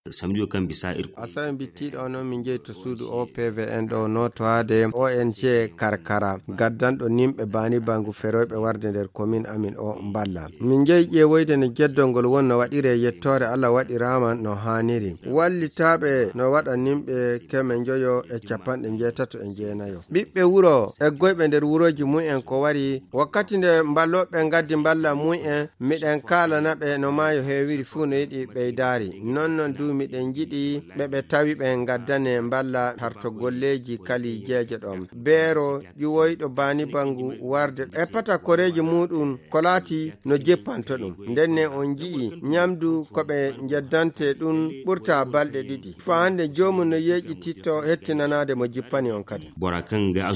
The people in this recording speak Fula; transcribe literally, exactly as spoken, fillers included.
Samedi o kam bisa irko. Asawe bittiiɗo o noon, min njehi to suudu O P V N ɗo nootowaade O N G Karkara, gaddanɗo nimɓe baani bangu feroyɓe warde nder komin amin o mballa. Min njehi ƴeewoyde no jeddol ngol won no waɗiree, yettoore Allah waɗiraama no haaniri. Wallitaaɓe no waɗa nimɓe keme njoyo e capanɗe njeetato e njeenayo. Ɓiɓɓe wuro eggoyɓe nder wurooji mumen ko wari, wakkati nde mballooɓe ngaddi mballa mumen, miɗen kaalana ɓe no maayo heewiri fuu no yiɗi ɓeydaari. Non non du miɗen njiɗi ɓe ɓe tawi ɓe ngaddane mballa harto golleeji kali jeeje ɗon. Beero ƴuwoyɗo baani bangu warde e pata koreeji muuɗum ko laati no jippanto ɗum. Nden ne on nji'i nyamdu ko ɓe njeddante ɗum ɓurta balɗe ɗiɗi. Faa hannde joomum no yeeƴititto hettinanaade mo jippani on kadi. Bora kan nga